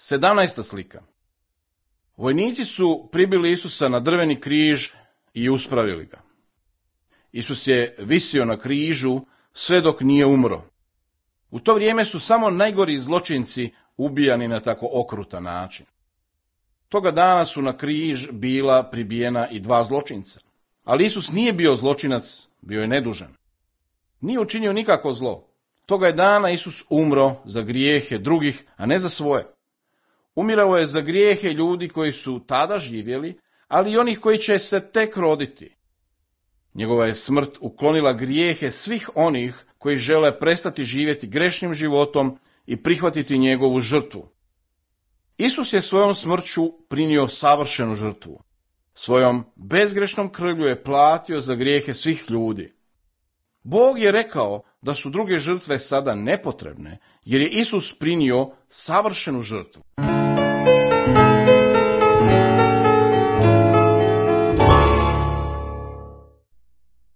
17. slika. Vojnici su pribili Isusa na drveni križ i uspravili ga. Isus je visio na križu sve dok nije umro. U to vrijeme su samo najgori zločinci ubijani na tako okrutan način. Toga dana su na križ bila pribijena i 2 zločinca. Ali Isus nije bio zločinac, bio je nedužan. Nije učinio nikako zlo. Toga je dana Isus umro za grijehe drugih, a ne za svoje. Umirao je za grijehe ljudi koji su tada živjeli, ali i onih koji će se tek roditi. Njegova je smrt uklonila grijehe svih onih koji žele prestati živjeti grešnim životom i prihvatiti njegovu žrtvu. Isus je svojom smrću prinio savršenu žrtvu. Svojom bezgrešnom krvlju je platio za grijehe svih ljudi. Bog je rekao da su druge žrtve sada nepotrebne, jer je Isus prinio savršenu žrtvu.